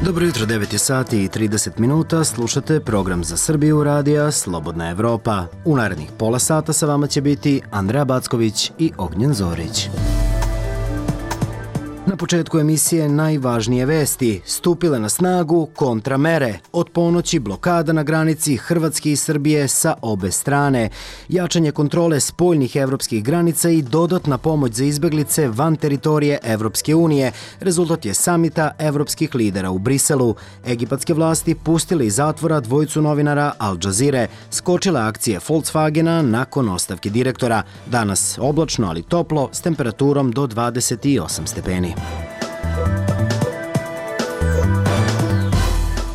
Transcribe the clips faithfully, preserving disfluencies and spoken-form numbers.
Dobro jutro, devet je sati i trideset minuta, slušate program za Srbiju radija Slobodna Evropa. U narednih pola sata sa vama će biti Andreja Backović i Ognjen Zorić. Na početku emisije najvažnije vesti. Stupile na snagu kontramere. Od ponoći blokada na granici Hrvatske i Srbije sa obe strane. Jačanje kontrole spoljnih evropskih granica i dodatna pomoć za izbeglice van teritorije Evropske unije. Rezultat je samita evropskih lidera u Briselu. Egipatske vlasti pustile iz zatvora dvojicu novinara Al Jazeere. Skočile akcije Volkswagena nakon ostavke direktora. Danas oblačno, ali toplo, s temperaturom do dvadeset osam stepeni.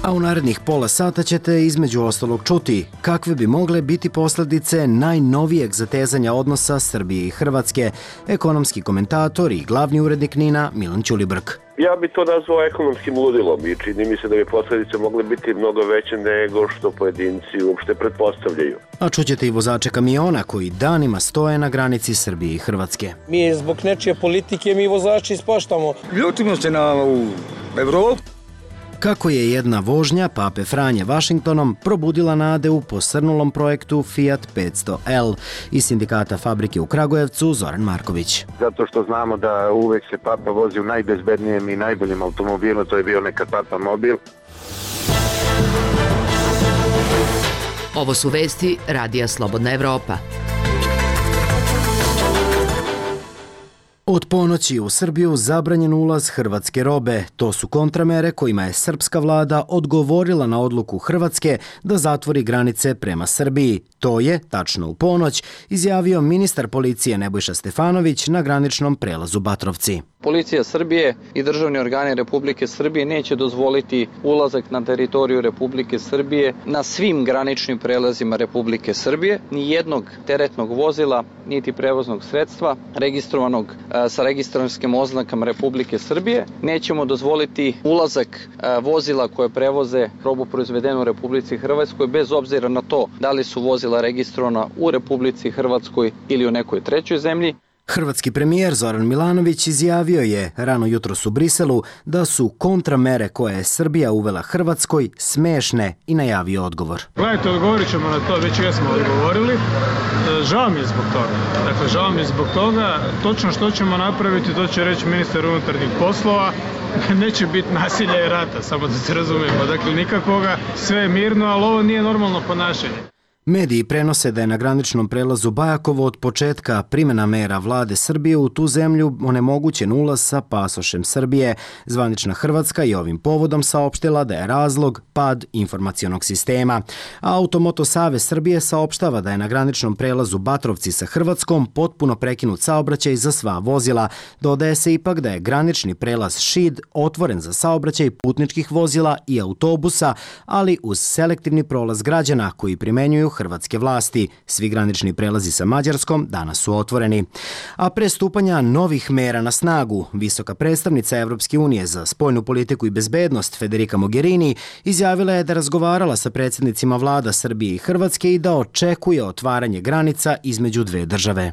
A u narednih pola sata ćete između ostalog čuti kakve bi mogle biti posljedice najnovijeg zatezanja odnosa Srbije i Hrvatske, ekonomski komentator i glavni urednik NIN-a Milan Ćulibrk. Ja bi to nazvao ekonomskim ludilom i čini mi se da bi posljedice mogle biti mnogo veće nego što pojedinci uopšte pretpostavljaju. A čućete i vozače kamiona koji danima stoje na granici Srbije i Hrvatske. Mi zbog nečije politike mi vozači ispaštamo. Ljutimo se na Evropu. Kako je jedna vožnja Pape Franje Vašingtonom probudila nade u posrnulom projektu Fiat petsto L. Iz sindikata fabrike u Kragujevcu Zoran Marković. Zato što znamo da uvek se Papa vozi u najbezbednijem i najboljim automobilu, to je bio nekad Papa mobil. Ovo su vesti Radija Slobodna Evropa. Od ponoći u Srbiju zabranjen ulaz hrvatske robe. To su kontramere kojima je srpska vlada odgovorila na odluku Hrvatske da zatvori granice prema Srbiji. To je, tačno u ponoć, izjavio ministar policije Nebojša Stefanović na graničnom prelazu Batrovci. Policija Srbije i državni organi Republike Srbije neće dozvoliti ulazak na teritoriju Republike Srbije na svim graničnim prelazima Republike Srbije, ni jednog teretnog vozila, niti prevoznog sredstva registrovanog sa registrarskim oznakama Republike Srbije. Nećemo dozvoliti ulazak vozila koje prevoze robu proizvedenu u Republici Hrvatskoj bez obzira na to da li su vozila registrovana u Republici Hrvatskoj ili u nekoj trećoj zemlji. Hrvatski premijer Zoran Milanović izjavio je rano jutros u Briselu da su kontramere koje je Srbija uvela Hrvatskoj smešne i najavio odgovor. Gledajte, odgovorit ćemo na to, već jesmo odgovorili. Žao mi je zbog toga. Dakle, žao mi je zbog toga. Točno što ćemo napraviti, to će reći ministar unutarnjih poslova. Neće biti nasilja i rata, samo da se razumijemo. Dakle, nikakvoga, sve je mirno, ali ovo nije normalno ponašanje. Mediji prenose da je na graničnom prelazu Bajakovo od početka primjena mera vlade Srbije u tu zemlju onemogućen ulaz sa pasošem Srbije. Zvanična Hrvatska je ovim povodom saopštila da je razlog pad informacionog sistema. A Automoto Savez Srbije saopštava da je na graničnom prelazu Batrovci sa Hrvatskom potpuno prekinut saobraćaj za sva vozila. Dodaje se ipak da je granični prelaz Šid otvoren za saobraćaj putničkih vozila i autobusa, ali uz selektivni prolaz građana koji primenjuju hrvatske vlasti. Svi granični prelazi sa Mađarskom danas su otvoreni. A pre stupanja novih mera na snagu, visoka predstavnica Evropske unije za spoljnu politiku i bezbednost Federica Mogherini izjavila je da razgovarala sa predsjednicima vlada Srbije i Hrvatske i da očekuje otvaranje granica između dve države.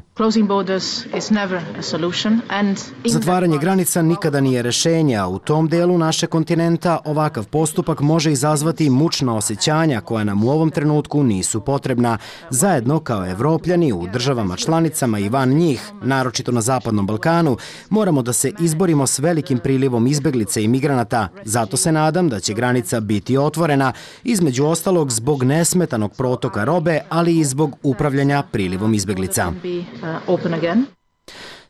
Zatvaranje granica nikada nije rešenje, a u tom delu naše kontinenta ovakav postupak može izazvati mučna osjećanja koja nam u ovom trenutku nisu potrebna. Zajedno kao Evropljani u državama članicama i van njih, naročito na Zapadnom Balkanu, moramo da se izborimo s velikim prilivom izbeglica i migranata. Zato se nadam da će granica biti otvorena, između ostalog zbog nesmetanog protoka robe, ali i zbog upravljanja prilivom izbeglica.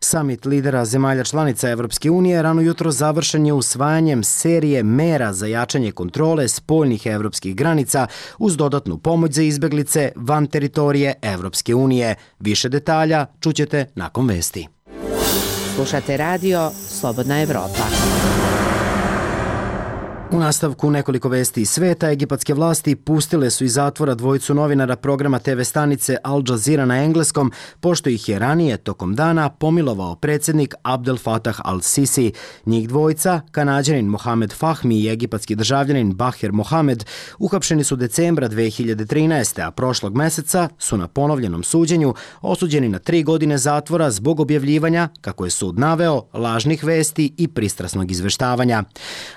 Samit lidera zemalja članica Evropske unije rano jutro završen je usvajanjem serije mera za jačanje kontrole spoljnih evropskih granica uz dodatnu pomoć za izbeglice van teritorije Evropske unije. Više detalja čućete nakon vesti. Slušate radio Slobodna Evropa. U nastavku nekoliko vesti iz sveta, egipatske vlasti pustile su iz zatvora dvojicu novinara programa te ve stanice Al Jazeera na engleskom, pošto ih je ranije tokom dana pomilovao predsjednik Abdel Fattah al-Sisi. Njih dvojica, Kanađanin Mohamed Fahmi i egipatski državljanin Baher Mohamed, uhapšeni su decembra dve hiljade trinaeste. a prošlog meseca su na ponovljenom suđenju osuđeni na tri godine zatvora zbog objavljivanja, kako je sud naveo, lažnih vesti i pristrasnog izveštavanja.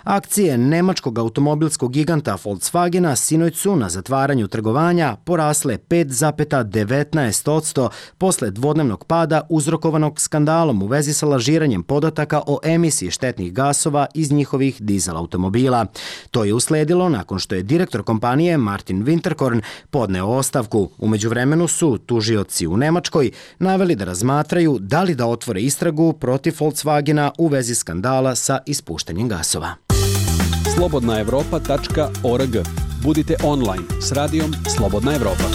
Akcije ne nemačkog automobilskog giganta Volkswagena sinoć su na zatvaranju trgovanja porasle pet zarez devetnaest posto posle dvodnevnog pada uzrokovanog skandalom u vezi sa lažiranjem podataka o emisiji štetnih gasova iz njihovih dizel automobila. To je usledilo nakon što je direktor kompanije Martin Winterkorn podneo ostavku. U međuvremenu su tužioci u Nemačkoj naveli da razmatraju da li da otvore istragu protiv Volkswagena u vezi skandala sa ispuštanjem gasova. slobodna evropa tačka org. Budite online s radijom Slobodna Evropa.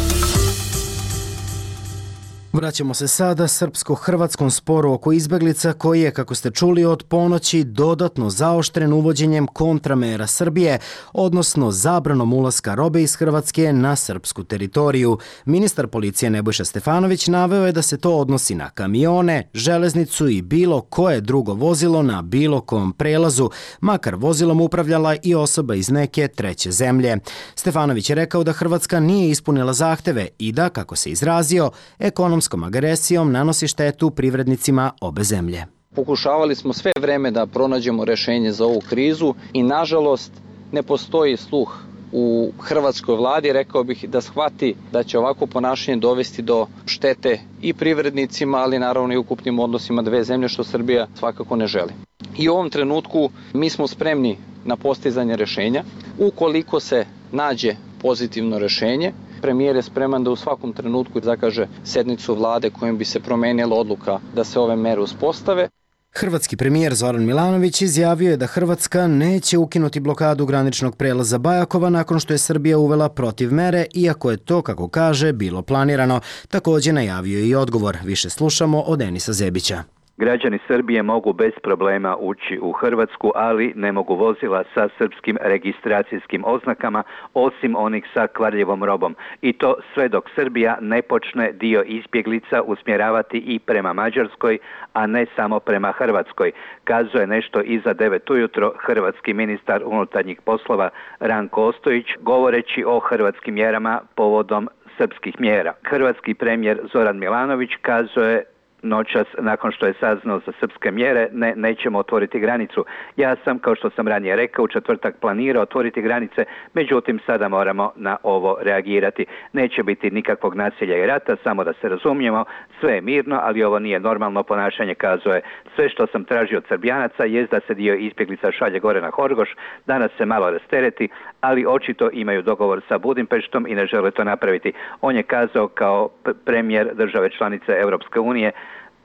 Vraćamo se sada srpsko-hrvatskom sporu oko izbeglica koji je, kako ste čuli, od ponoći dodatno zaoštren uvođenjem kontramera Srbije, odnosno zabranom ulaska robe iz Hrvatske na srpsku teritoriju. Ministar policije Nebojša Stefanović naveo je da se to odnosi na kamione, železnicu i bilo koje drugo vozilo na bilo kom prelazu, makar vozilom upravljala i osoba iz neke treće zemlje. Stefanović je rekao da Hrvatska nije ispunila zahteve i da, kako se izrazio, ekonomskom agresijom nanosi štetu privrednicima obe zemlje. Pokušavali smo sve vreme da pronađemo rešenje za ovu krizu i nažalost ne postoji sluh u hrvatskoj vladi, rekao bih, da shvati da će ovako ponašanje dovesti do štete i privrednicima, ali naravno i ukupnim odnosima dve zemlje, što Srbija svakako ne želi. I u ovom trenutku mi smo spremni na postizanje rešenja. Ukoliko se nađe pozitivno rešenje, premijer je spreman da u svakom trenutku zakaže sednicu vlade kojom bi se promenila odluka da se ove mere uspostave. Hrvatski premijer Zoran Milanović izjavio je da Hrvatska neće ukinuti blokadu graničnog prelaza Bajakova nakon što je Srbija uvela protiv mere, iako je to, kako kaže, bilo planirano. Također najavio je i odgovor. Više slušamo od Enisa Zebića. Građani Srbije mogu bez problema ući u Hrvatsku, ali ne mogu vozila sa srpskim registracijskim oznakama, osim onih sa kvarljivom robom. I to sve dok Srbija ne počne dio izbjeglica usmjeravati i prema Mađarskoj, a ne samo prema Hrvatskoj. Kazuje nešto iza devet ujutro hrvatski ministar unutarnjih poslova Ranko Ostojić, govoreći o hrvatskim mjerama povodom srpskih mjera. Hrvatski premijer Zoran Milanović kazuje noćas, nakon što je saznao za srpske mjere, ne, nećemo otvoriti granicu. Ja sam, kao što sam ranije rekao, u četvrtak planirao otvoriti granice, međutim sada moramo na ovo reagirati. Neće biti nikakvog nasilja i rata, samo da se razumijemo, sve je mirno, ali ovo nije normalno ponašanje, kazuje. Sve što sam tražio od Srbijanaca je da se dio izbjeglica šalje gore na Horgoš, danas se malo rastereti, ali očito imaju dogovor sa Budimpeštom i ne žele to napraviti. On je kazao kao premijer države članice Europske unije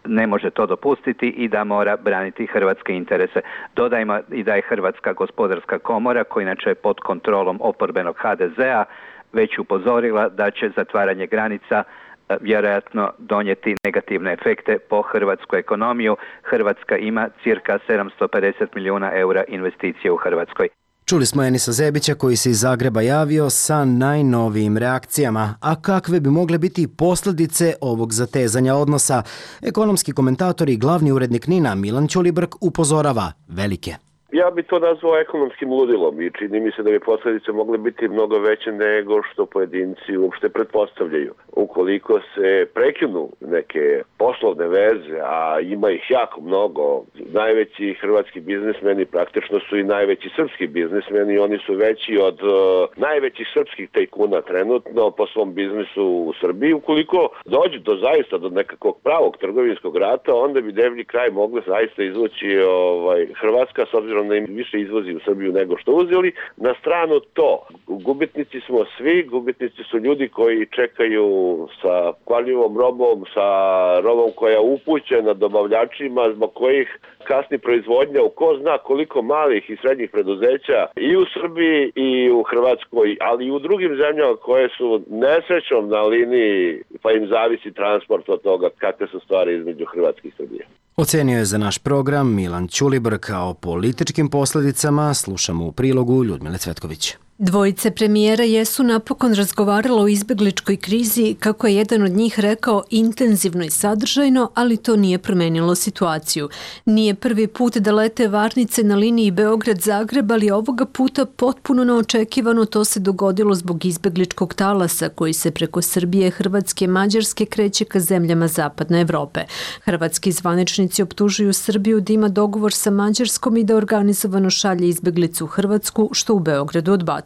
ne može to dopustiti i da mora braniti hrvatske interese. Dodajmo i da je Hrvatska gospodarska komora, koja inače je pod kontrolom oporbenog ha de zea, već upozorila da će zatvaranje granica vjerojatno donijeti negativne efekte po hrvatsku ekonomiju. Hrvatska ima cirka sedamsto pedeset milijuna eura investicije u Hrvatskoj. Čuli smo Enisa Zebića koji se iz Zagreba javio sa najnovijim reakcijama. A kakve bi mogle biti posljedice ovog zatezanja odnosa? Ekonomski komentator i glavni urednik NIN-a Milan Ćulibrk upozorava velike. Ja bi to nazvao ekonomskim ludilom i čini mi se da bi posljedice mogle biti mnogo veće nego što pojedinci uopšte pretpostavljaju. Ukoliko se prekinu neke poslovne veze, a ima ih jako mnogo, najveći hrvatski biznismeni praktično su i najveći srpski biznismeni i oni su veći od uh, najvećih srpskih tajkuna trenutno po svom biznisu u Srbiji. Ukoliko dođe do zaista do nekakvog pravog trgovinskog rata, onda bi deblji kraj mogla zaista izvući ovaj, Hrvatska, s obzirom da im više izvozi u Srbiju nego što uzeli. Na stranu to, gubitnici smo svi, gubitnici su ljudi koji čekaju sa kvarljivom robom, sa robom koja je upućena dobavljačima, zbog kojih kasni proizvodnja u ko zna koliko malih i srednjih preduzeća i u Srbiji i u Hrvatskoj, ali i u drugim zemljama koje su nesrećom na liniji, pa im zavisi transport od toga kakve su stvari između Hrvatske i Srbije. Ocenio je za naš program Milan Ćulibrk. O političkim posljedicama slušamo u prilogu Ljudmile Cvetković. Dvojice premijera jesu napokon razgovarala o izbegličkoj krizi, kako je jedan od njih rekao, intenzivno i sadržajno, ali to nije promenilo situaciju. Nije prvi put da lete varnice na liniji Beograd-Zagreb, ali ovoga puta potpuno neočekivano to se dogodilo zbog izbegličkog talasa koji se preko Srbije, Hrvatske i Mađarske kreće ka zemljama Zapadne Evrope. Hrvatski zvaničnici optužuju Srbiju da ima dogovor sa Mađarskom i da organizovano šalje izbeglicu u Hrvatsku, što u Beogradu odbacuju.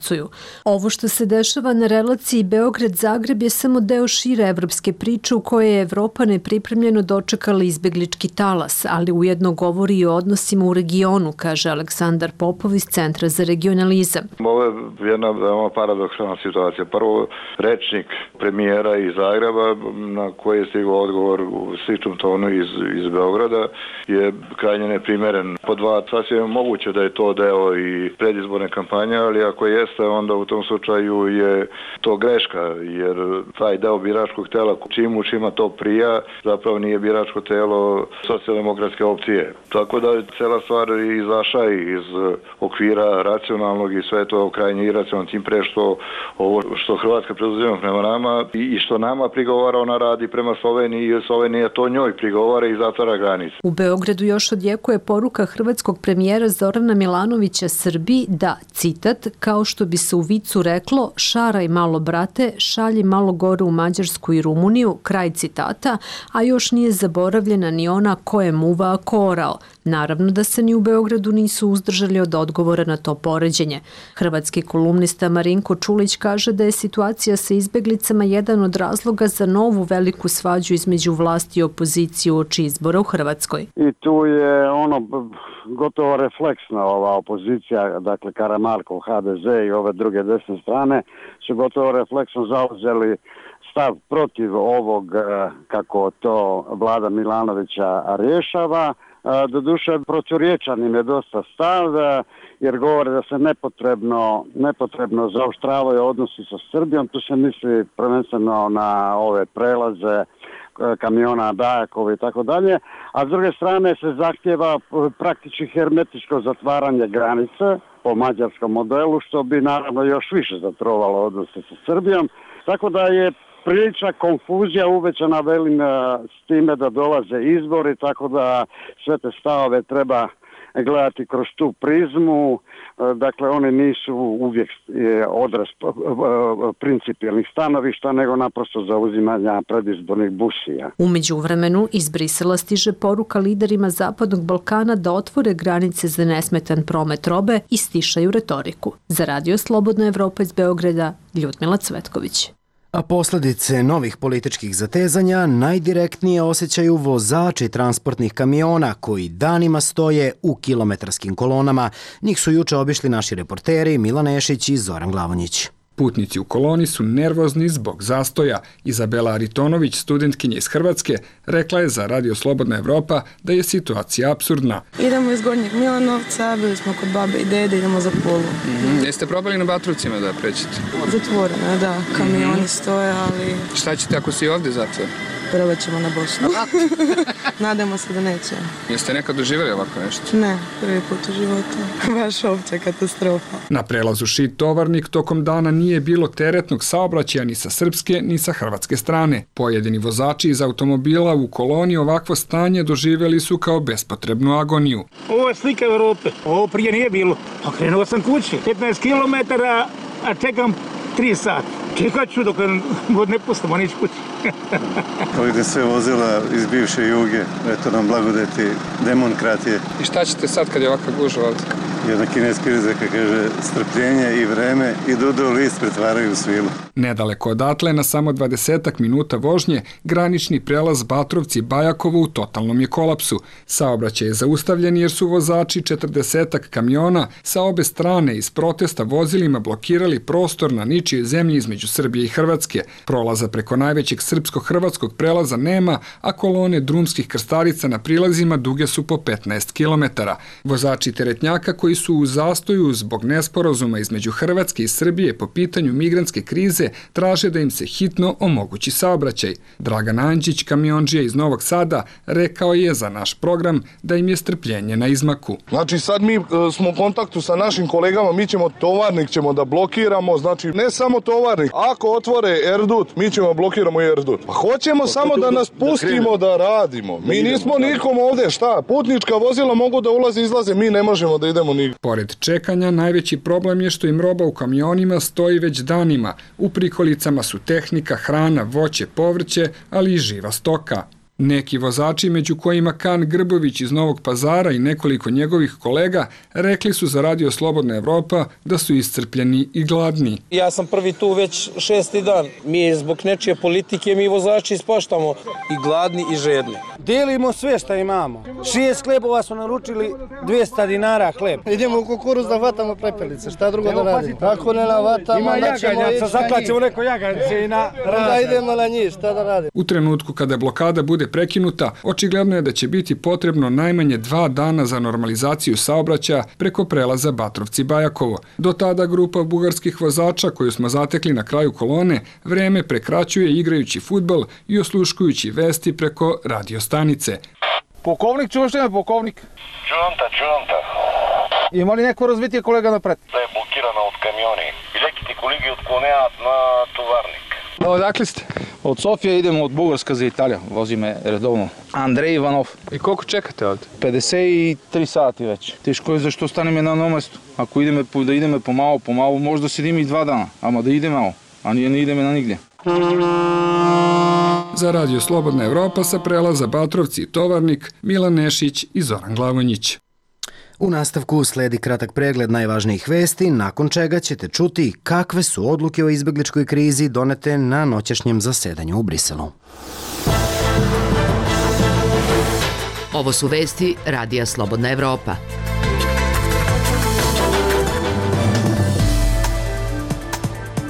Ovo što se dešava na relaciji Beograd-Zagreb je samo deo šire evropske priče u kojoj je Evropa nepripremljeno dočekala izbeglički talas, ali ujedno govori i o odnosima u regionu, kaže Aleksandar Popov iz Centra za regionalizam. Ovo je jedna veoma paradoksalna situacija. Prvo, rečnik premijera iz Zagreba, na koji je stigao odgovor u sličnom tonu iz, iz Beograda, je krajnje neprimeren. Po dva, sasvim je moguće da je to deo i predizborne kampanje, ali ako jeste, onda u tom slučaju je to greška, jer taj deo biračkog tela, čim u čima to prija, zapravo nije biračko telo socijaldemokratske opcije. Tako da je cela stvar izašla iz okvira racionalnog i sve to krajnje iracionalno, tim pre što ovo što Hrvatska preduzima prema nama i što nama prigovara, ona radi prema Sloveniji i Slovenija to njoj prigovara i zatvara granice. U Beogradu još odjekuje poruka hrvatskog premijera Zorana Milanovića Srbiji da, citat, kao što bi se u vicu reklo, šaraj malo brate, šalji malo gore u Mađarsku i Rumuniju, kraj citata, a još nije zaboravljena ni ona ko je muva, a ko orao. Naravno da se ni u Beogradu nisu uzdržali od odgovora na to poređenje. Hrvatski kolumnista Marinko Čulić kaže da je situacija sa izbeglicama jedan od razloga za novu veliku svađu između vlasti i opozicije uoči izbora u Hrvatskoj. I tu je ono gotovo refleksna ova opozicija, dakle Karamarkov, ha de ze i ove druge desne strane su gotovo refleksno zauzeli stav protiv ovog, kako to vlada Milanovića rješava. Doduše, proturječan im je dosta stav, jer govore da se nepotrebno, nepotrebno zaoštravaju odnosi sa Srbijom. Tu se misli prvenstveno na ove prelaze kamiona Bajakovi i tako dalje, a s druge strane se zahtjeva praktički hermetičko zatvaranje granice po mađarskom modelu, što bi naravno još više zatrovalo odnose sa Srbijom. Tako da je prilična konfuzija uvećana, velim, s time da dolaze izbori, tako da sve te stavove treba gledati kroz tu prizmu. Dakle, oni nisu uvijek odraz principijelnih stanovišta, nego naprosto zauzimanja predizbornih busija. U međuvremenu iz Brisela stiže poruka liderima Zapadnog Balkana da otvore granice za nesmetan promet robe i stišaju retoriku. Za Radio Slobodna Evropa iz Beograda, Ljudmila Cvetković. A posljedice novih političkih zatezanja najdirektnije osjećaju vozači transportnih kamiona koji danima stoje u kilometarskim kolonama. Njih su juče obišli naši reporteri Milan Ešić i Zoran Glavonjić. Putnici u koloni su nervozni zbog zastoja. Izabela Aritonović, studentkinja iz Hrvatske, rekla je za Radio Slobodna Evropa da je situacija apsurdna. Idemo iz Gornjeg Milanovca, bili smo kod babe i dede, idemo za Pulu. Mm-hmm. Jeste probali na Batrovcima da prećete? Zatvoreno, da, kamioni mm-hmm. stoje, ali... Šta ćete ako si ovdje zatvor? Probat ćemo na Bosnu. Nadamo se da neće. Jeste nekad doživjeli ovako nešto? Ne, prvi put u životu. Baš opća katastrofa. Na prelazu Šid-Tovarnik tokom dana nije bilo teretnog saobraćaja ni sa srpske ni sa hrvatske strane. Pojedini vozači iz automobila u koloni ovakvo stanje doživjeli su kao bespotrebnu agoniju. Ovo je slika Evrope. Ovo prije nije bilo. Okrenuo sam kući. petnaest kilometara, a čekam tri sata. Čekat ću dok god ne pustimo nić kući. Ovdje sve vozila iz bivše Juge, eto nam blagodeti demokratije. I šta ćete sad kad je ovakav gužva ovdje? Jedna kineska izreka kaže strpljenje i vreme i dudo list pretvaraju u svilu. Nedaleko odatle, na samo dvadesetak minuta vožnje, granični prelaz Batrovci-Bajakovo u totalnom je kolapsu. Saobraćaj je zaustavljen jer su vozači četrdesetak kamiona sa obe strane iz protesta vozilima blokirali prostor na ničijoj zemlji između Srbije i Hrvatske. Prolaza preko najvećeg srpsko-hrvatskog prelaza nema, a kolone drumskih krstarica na prilazima duge su po petnaest kilometara. Vozači teretnjaka koji su u zastoju zbog nesporazuma između Hrvatske i Srbije po pitanju migrantske krize traže da im se hitno omogući saobraćaj. Dragan Anđić, kamiondžija iz Novog Sada, rekao je za naš program da im je strpljenje na izmaku. Znači sad mi smo u kontaktu sa našim kolegama, mi ćemo tovarnik ćemo da blokiramo, znači ne samo tovarnik, ako otvore Erdut, mi ćemo blokiramo i Erdut. Pa hoćemo samo da nas pustimo da radimo. Mi nismo nikom ovde, šta, putnička vozila mogu da ulaze i izlaze, mi ne možemo da idemo nigdje. Pored čekanja, najveći problem je što im roba u kamionima stoji već danima. U prikolicama su tehnika, hrana, voće, povrće, ali i živa stoka. Neki vozači, među kojima Kan Grbović iz Novog Pazara i nekoliko njegovih kolega, rekli su za Radio Slobodna Evropa da su iscrpljeni i gladni. Ja sam prvi tu već šesti dan. Mi zbog nečije politike, mi vozači ispaštamo i gladni i žedni. Delimo sve što imamo. Šest hlebova su naručili, dvesta dinara hleb. Idemo u kukuruz da vatamo prepelice, šta drugo da radimo? Ako ne navatamo, ima jaganjaca, zaklaćemo neko jaganjce i na razred. Da idemo na njih, šta da radimo? U trenutku kada blokada bude prekinuta, očigledno je da će biti potrebno najmanje dva dana za normalizaciju saobraćaja preko prelaza Batrovci-Bajakovo. Do tada grupa bugarskih vozača koju smo zatekli na kraju kolone vreme prekraćuje igrajući fudbal i osluškujući vesti preko radiostanice. Pukovnik, čuvaš ime pukovnik? Čuvam ta, čuvam ta. Ima li neko razvitije kolega napred? Da je blokirana od kamioni. Леките колеги отклоняват на товарник. Odakle ste? Od Sofije idemo od Bugarska za Italija, vozime redovno. Andrej Ivanov. I koliko čekate ovdje? pedeset tri sati već. Teško je zašto staneme na jednom mestu. Ako ideme, da ideme pomalo, pomalo, možda sedimo i dva dana, ama da ide malo, a nije ne ideme na nigdje. Za Radio Slobodna Evropa sa prelaza Batrovci i Tovarnik, Milan Nešić i Zoran Glavonjić. U nastavku sledi kratak pregled najvažnijih vesti, nakon čega ćete čuti kakve su odluke o izbegličkoj krizi donete na noćašnjem zasedanju u Briselu. Ovo su vesti Radija Slobodna Evropa.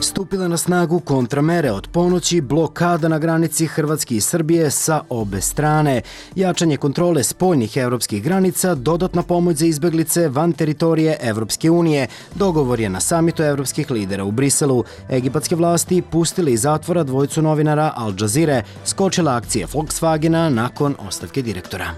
Stupila na snagu kontramere od ponoći, blokada na granici Hrvatske i Srbije sa obe strane, jačanje kontrole spoljnih evropskih granica, dodatna pomoć za izbeglice van teritorije Evropske unije, dogovor je na samitu evropskih lidera u Briselu. Egipatske vlasti pustile iz zatvora dvojicu novinara Al Jazeere, skočila akcija Volkswagena nakon ostavke direktora.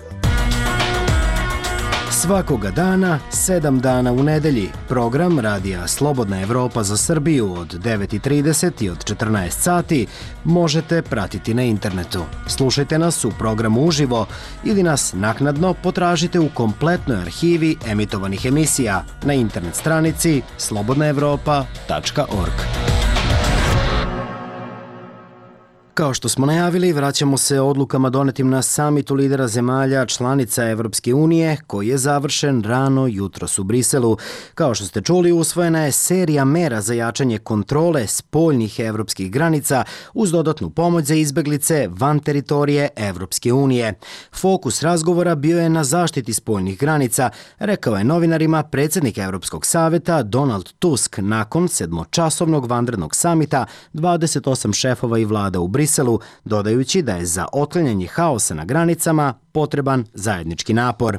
Svakoga dana, sedam dana u nedelji, program Radija Slobodna Evropa za Srbiju od devet i trideset i od četrnaest sati možete pratiti na internetu. Slušajte nas u programu uživo ili nas naknadno potražite u kompletnoj arhivi emitovanih emisija na internet stranici slobodna evropa tačka org. Kao što smo najavili, vraćamo se odlukama donetim na samitu lidera zemalja članica Evropske unije, koji je završen rano jutros u Briselu. Kao što ste čuli, usvojena je serija mera za jačanje kontrole spoljnih evropskih granica uz dodatnu pomoć za izbeglice van teritorije Evropske unije. Fokus razgovora bio je na zaštiti spoljnih granica, rekao je novinarima predsjednik Evropskog saveta Donald Tusk nakon sedmočasovnog vanrednog samita dvadeset osam šefova i vlada u Briselu, dodajući da je za otklanjanje haosa na granicama potreban zajednički napor.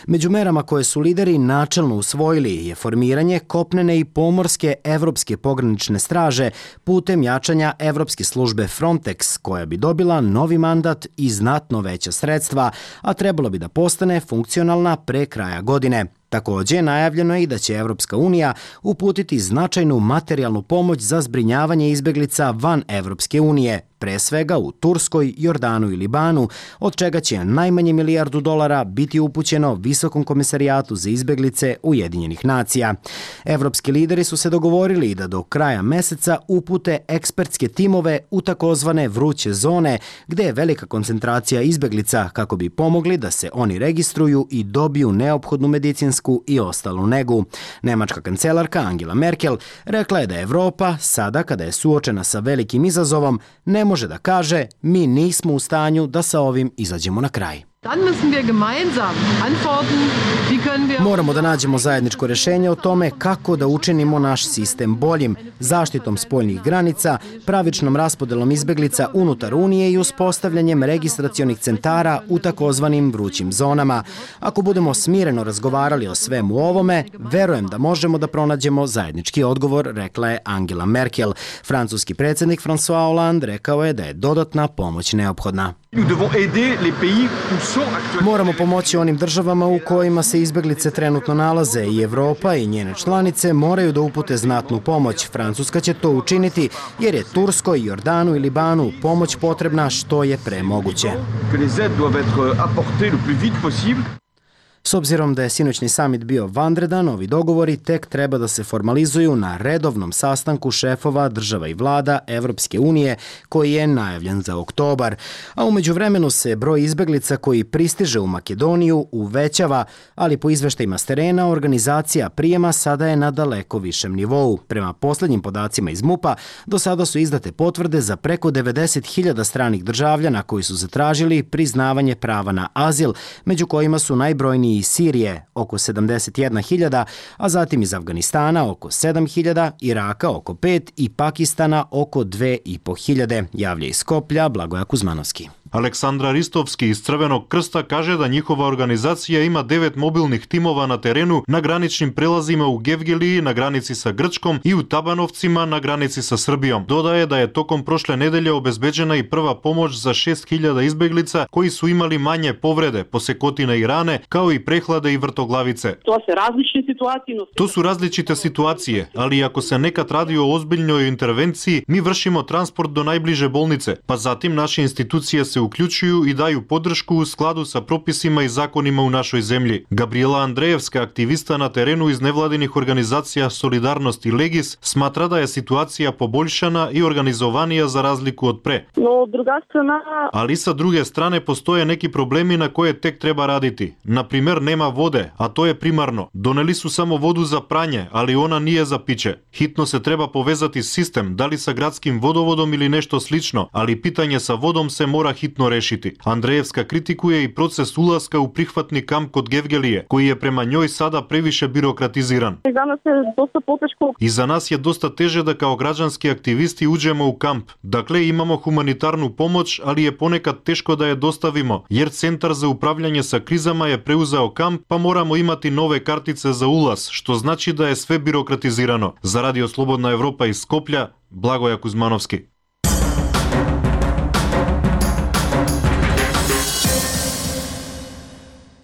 Među merama koje su lideri načelno usvojili je formiranje kopnene i pomorske evropske pogranične straže putem jačanja evropske službe Frontex, koja bi dobila novi mandat i znatno veća sredstva, a trebalo bi da postane funkcionalna pre kraja godine. Također, najavljeno je i da će Evropska unija uputiti značajnu materijalnu pomoć za zbrinjavanje izbeglica van Evropske unije, pre svega u Turskoj, Jordanu i Libanu, od čega će najmanje milijardu dolara biti upućeno Visokom komisarijatu za izbeglice Ujedinjenih nacija. Evropski lideri su se dogovorili da do kraja meseca upute ekspertske timove u takozvane vruće zone, gde je velika koncentracija izbeglica, kako bi pomogli da se oni registruju i dobiju neophodnu medicinsku i ostalu negu. Nemačka kancelarka Angela Merkel rekla je da Evropa, sada kada je suočena sa velikim izazovom, ne može da kaže mi nismo u stanju da sa ovim izađemo na kraj. Moramo da nađemo zajedničko rešenje o tome kako da učinimo naš sistem boljim, zaštitom spoljnih granica, pravičnom raspodelom izbeglica unutar Unije i uspostavljanjem registracionih centara u takozvanim vrućim zonama. Ako budemo smireno razgovarali o svemu ovome, verujem da možemo da pronađemo zajednički odgovor, rekla je Angela Merkel. Francuski predsjednik François Hollande rekao je da je dodatna pomoć neophodna. Moramo pomoći onim državama u kojima se izbeglice trenutno nalaze i Evropa i njene članice moraju da upute znatnu pomoć. Francuska će to učiniti jer je Turskoj, Jordanu i Libanu pomoć potrebna što je pre moguće. S obzirom da je sinoćni samit bio vanredan, ovi dogovori tek treba da se formalizuju na redovnom sastanku šefova država i vlada Evropske unije koji je najavljen za oktobar. A umeđu vremenu se broj izbeglica koji pristiže u Makedoniju uvećava, ali po izveštajima s terena organizacija prijema sada je na daleko višem nivou. Prema poslednjim podacima iz MUP-a, do sada su izdate potvrde za preko devedeset hiljada stranih državljana koji su zatražili priznavanje prava na azil, među kojima su najbrojniji iz Sirije oko sedamdeset jedna hiljada, a zatim iz Afganistana oko sedam hiljada, Iraka oko pet i Pakistana oko dve i po hiljade, javlja iz Skoplja Blagoja Kuzmanovski. Aleksandra Ristovski iz Crvenog krsta kaže da njihova organizacija ima devet mobilnih timova na terenu na graničnim prelazima u Gevgeliji na granici sa Grčkom i u Tabanovcima na granici sa Srbijom. Dodaje da je tokom prošle nedelje obezbeđena i prva pomoć za šest hiljada izbeglica koji su imali manje povrede, posekotine i rane, kao i prehlade i vrtoglavice. To se različite situacije. To su različite situacije, ali ako se nekad radi o ozbiljnoj intervenciji, mi vršimo transport do najbliže bolnice, pa zatim naše institucije se uključuju i daju podršku u skladu sa propisima i zakonima u našoj zemlji. Gabriela Andrejevska, aktivista na terenu iz nevladinih organizacija Solidarnost i Legis, smatra da je situacija poboljšana i organizovanija za razliku od pre. No, druga strana... Ali sa druge strane postoje neki problemi na koje tek treba raditi. Na primer, nema vode, a to je primarno. Doneli su samo vodu za pranje, ali ona nije za piće. Hitno se treba povezati sistem, da li sa gradskim vodovodom ili nešto slično, ali pitanje sa vodom se mora hitno rešiti. Andrejevska kritikuje i proces ulaska u prihvatni kamp kod Gevgelije, koji je prema njoj sada previše birokratiziran. I za nas je dosta poteško. I za nas je dosta teže da kao građanski aktivisti uđemo u kamp. Dakle, imamo humanitarnu pomoć, ali je ponekad teško da je dostavimo, jer Centar za upravljanje sa krizama je preuzeo kamp, pa moramo imati nove kartice za ulaz, što znači da je sve birokratizirano. Za Radio Slobodna Evropa iz Skoplja, Blagoja Kuzmanovski.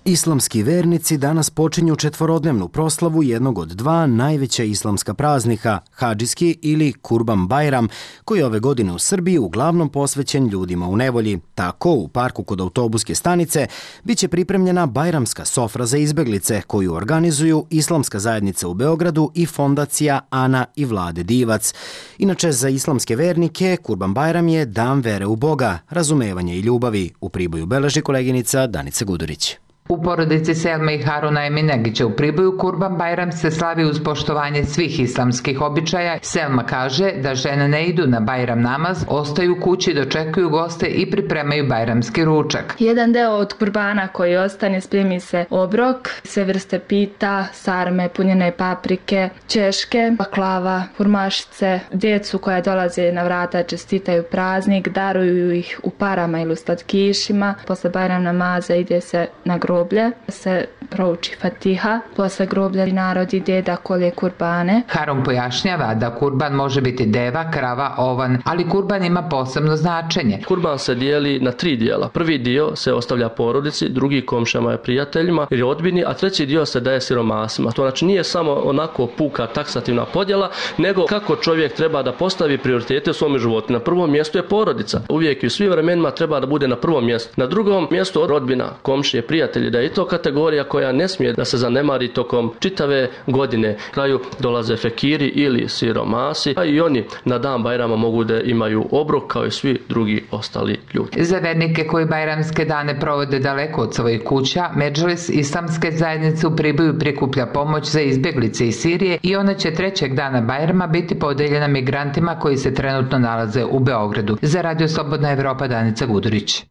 Islamski vernici danas počinju četvorodnevnu proslavu jednog od dva najveća islamska praznika, Hadžijski ili Kurban Bajram, koji ove godine u Srbiji uglavnom posvećen ljudima u nevolji. Tako, u parku kod autobuske stanice biće pripremljena bajramska sofra za izbeglice, koju organizuju Islamska zajednica u Beogradu i fondacija Ana i Vlade Divac. Inače, za islamske vernike Kurban Bajram je dan vere u Boga, razumevanja i ljubavi. U Priboju beleži koleginica Danica Gudurić. U porodici Selme i Haruna Eminegića u Priboju Kurban Bajram se slavi uz poštovanje svih islamskih običaja. Selma kaže da žene ne idu na Bajram namaz, ostaju kući, dočekuju goste i pripremaju bajramski ručak. Jedan deo od kurbana koji ostane spremi se obrok, sve vrste pita, sarme, punjene paprike, češke, baklava, furmašice, djecu koja dolaze na vrata čestitaju praznik, daruju ih u parama ili u slatkišima. Posle Bajram namaza ide se na groblje. groblje, se prouči Fatiha, posle groblja narod ide da kolje kurbane. Harun pojašnjava da kurban može biti deva, krava, ovan, ali kurban ima posebno značenje. Kurban se dijeli na tri dijela. Prvi dio se ostavlja porodici, drugi komšama i prijateljima ili rodbini, a treći dio se daje siromasima. To znači nije samo onako puka taksativna podjela, nego kako čovjek treba da postavi prioritete u svom životu. Na prvom mjestu je porodica. Uvijek i u svim vremenima treba da bude na prvom mjestu. Na drugom mjestu rodbina, komšije, prijatelji, da je to kategorija koja ne smije da se zanemari tokom čitave godine. Na kraju dolaze fekiri ili siromasi, a i oni na dan Bajrama mogu da imaju obrok kao i svi drugi ostali ljudi. Za vernike koji bajramske dane provode daleko od svojih kuća, Medžlis Islamske zajednice u Priboju prikuplja pomoć za izbjeglice iz Sirije i ona će trećeg dana Bajrama biti podeljena migrantima koji se trenutno nalaze u Beogradu. Za Radio Slobodna Evropa, Danica Gudurić.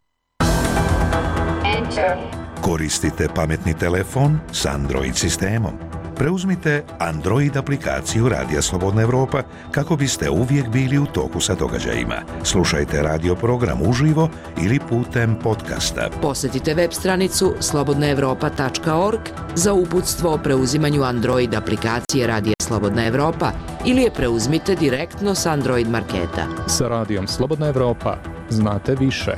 Koristite pametni telefon s Android sistemom. Preuzmite Android aplikaciju Radija Slobodna Evropa kako biste uvijek bili u toku sa događajima. Slušajte radio program uživo ili putem podcasta. Posjetite web stranicu slobodna evropa tačka org za uputstvo o preuzimanju Android aplikacije Radija Slobodna Evropa ili je preuzmite direktno s Android marketa. Sa Radijom Slobodna Evropa znate više.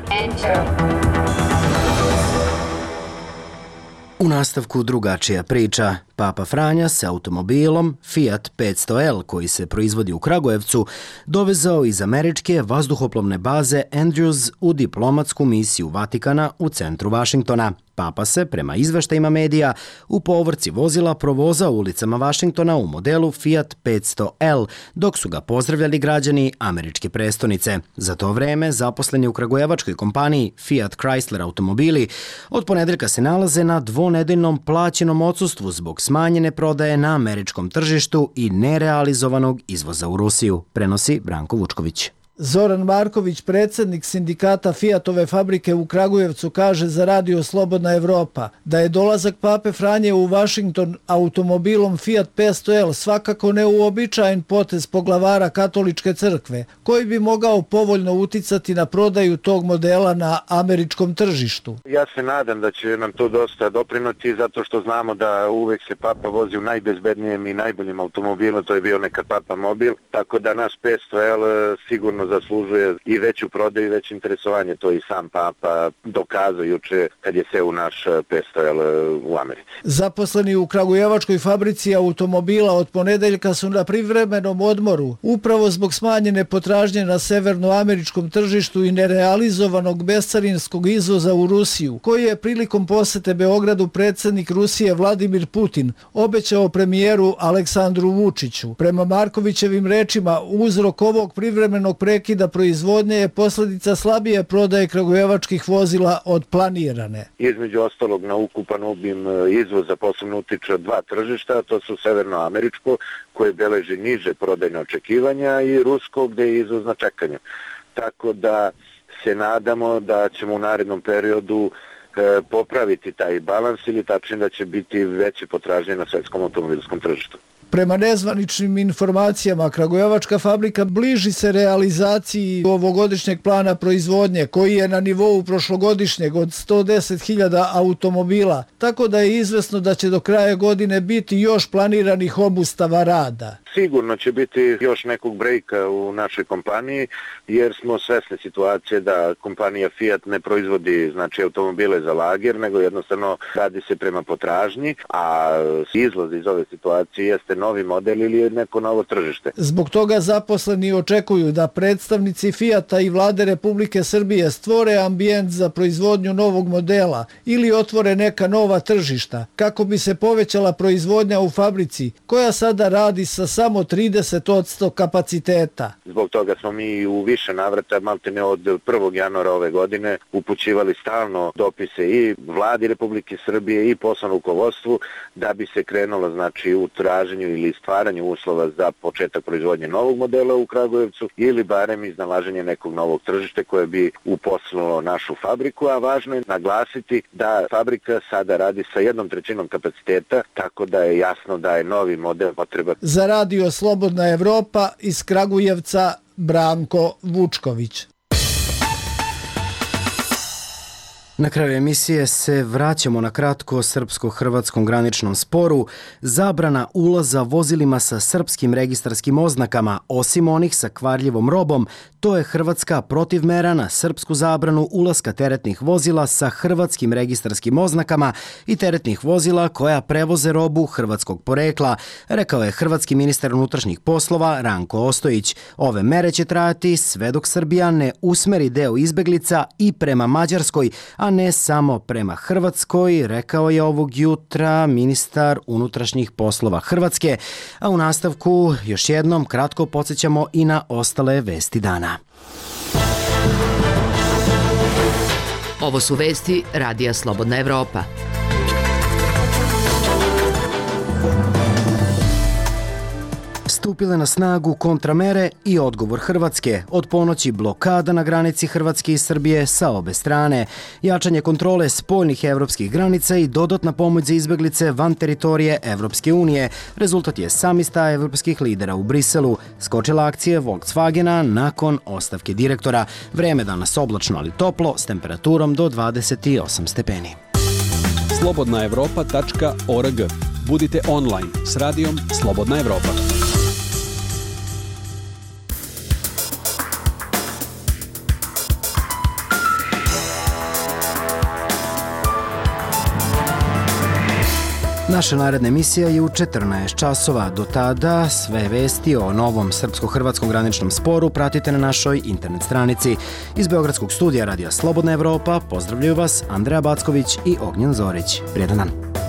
U nastavku drugačija priča. Papa Franja se automobilom Fiat petsto L koji se proizvodi u Kragujevcu dovezao iz američke vazduhoplovne baze Andrews u diplomatsku misiju Vatikana u centru Vašingtona. Papa se, prema izveštajima medija, u povorci vozila provozao ulicama Vašingtona u modelu Fiat petsto L, dok su ga pozdravljali građani američke prestonice. Za to vreme, zaposleni u kragujevačkoj kompaniji Fiat Chrysler automobili od ponedeljka se nalaze na dvonedeljnom plaćenom odsustvu zbog smanjene prodaje na američkom tržištu i nerealizovanog izvoza u Rusiju, prenosi Branko Vučković. Zoran Marković, predsjednik sindikata Fiatove fabrike u Kragujevcu, kaže za Radio Slobodna Evropa da je dolazak Pape Franje u Vašington automobilom Fiat petsto L svakako neuobičajen potez poglavara katoličke crkve, koji bi mogao povoljno uticati na prodaju tog modela na američkom tržištu. Ja se nadam da će nam to dosta doprinuti, zato što znamo da uvek se Papa vozi u najbezbednijem i najboljim automobilom, to je bio nekad Papa mobil, tako da naš petsto L sigurno zaslužuje i veću prodaju i veće interesovanje. To i sam Papa dokazao juče kad je se u naš petsto L u Americi. Zaposleni u kragujevačkoj fabrici automobila od ponedeljka su na privremenom odmoru, upravo zbog smanjene potražnje na severnoameričkom tržištu i nerealizovanog bescarinskog izvoza u Rusiju, koji je prilikom posete Beogradu predsjednik Rusije Vladimir Putin obećao premijeru Aleksandru Vučiću. Prema Markovićevim rečima, uzrok ovog privremenog prekida proizvodnje je posljedica slabije prodaje kragujevačkih vozila od planirane. Između ostalog na ukupan obim izvoza posebno utiče dva tržišta, to su severnoameričko koje beleži niže prodajne očekivanja i rusko gdje je izvoz na čekanju. Tako da se nadamo da ćemo u narednom periodu e, popraviti taj balans ili tačnije da će biti veće potražnje na svetskom automobilskom tržištu. Prema nezvaničnim informacijama, kragujevačka fabrika bliži se realizaciji ovogodišnjeg plana proizvodnje, koji je na nivou prošlogodišnjeg od sto deset hiljada automobila, tako da je izvesno da će do kraja godine biti još planiranih obustava rada. Sigurno će biti još nekog brejka u našoj kompaniji, jer smo svesni situacije da kompanija Fiat ne proizvodi znači automobile za lager, nego jednostavno radi se prema potražnji, a izlaz iz ove situacije jeste novi model ili neko novo tržište. Zbog toga zaposleni očekuju da predstavnici Fiata i vlade Republike Srbije stvore ambijent za proizvodnju novog modela ili otvore neka nova tržišta, kako bi se povećala proizvodnja u fabrici, koja sada radi sa samo trideset posto kapaciteta. Zbog toga smo mi u više navrata, maltene od prvog januara ove godine, upućivali stalno dopise i vladi Republike Srbije i poslovnom rukovodstvu da bi se krenulo znači u traženju ili stvaranju uslova za početak proizvodnje novog modela u Kragujevcu ili barem iznalaženje nekog novog tržišta koje bi uposlilo našu fabriku, a važno je naglasiti da fabrika sada radi sa jednom trećinom kapaciteta, tako da je jasno da je novi model potreba. Za Radio Slobodna Evropa iz Kragujevca, Branko Vučković. Na kraju emisije se vraćamo na kratko srpsko-hrvatskom graničnom sporu. Zabrana ulaza vozilima sa srpskim registarskim oznakama, osim onih sa kvarljivom robom, to je hrvatska protivmera na srpsku zabranu ulaska teretnih vozila sa hrvatskim registarskim oznakama i teretnih vozila koja prevoze robu hrvatskog porekla, rekao je hrvatski ministar unutrašnjih poslova Ranko Ostojić. Ove mere će trajati sve dok Srbija ne usmeri deo izbeglica i prema Mađarskoj, a ne samo prema Hrvatskoj, rekao je ovog jutra ministar unutrašnjih poslova Hrvatske. A u nastavku još jednom kratko podsjećamo i na ostale vesti dana. Ovo su vesti Radija Slobodna Evropa. stupile na snagu kontramere i odgovor Hrvatske. Od ponoći blokada na granici Hrvatske i Srbije sa obe strane, jačanje kontrole spoljnih evropskih granica i dodatna pomoć za izbeglice van teritorije Evropske unije. Rezultat je samista evropskih lidera u Briselu. Skočila akcije Volkswagena nakon ostavke direktora. Vreme danas oblačno, ali toplo, s temperaturom do dvadeset osam stepeni. slobodna evropa tačka org. Budite online s radijom Slobodna Evropa. Naša naredna emisija je u četrnaest časova. Do tada sve vesti o novom srpsko-hrvatskom graničnom sporu pratite na našoj internet stranici. Iz Beogradskog studija Radija Slobodna Evropa pozdravljaju vas Andreja Backović i Ognjen Zorić. Prijetan dan.